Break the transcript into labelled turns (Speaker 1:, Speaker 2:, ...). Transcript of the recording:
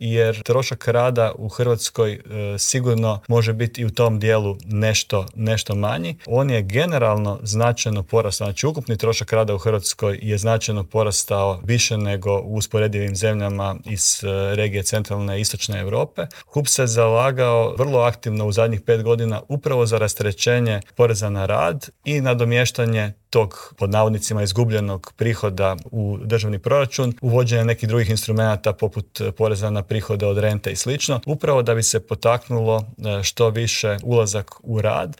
Speaker 1: jer trošak rada u Hrvatskoj sigurno može biti i u tom dijelu nešto manji. On je generalno značajno porastao, znači ukupni trošak rada u Hrvatskoj je značajno porastao više nego u usporedivim zemljama iz regije centralne i istočne Europe. HUP se zalagao vrlo aktivno u zadnjih 5 godina upravo za rasterećenje poreza na rad i nadomještanje tog, pod navodnicima, izgubljenog prihoda u državni proračun, uvođenje nekih drugih instrumenata poput poreza na prihode od rente i slično, upravo da bi se potaknulo što više ulazak u rad,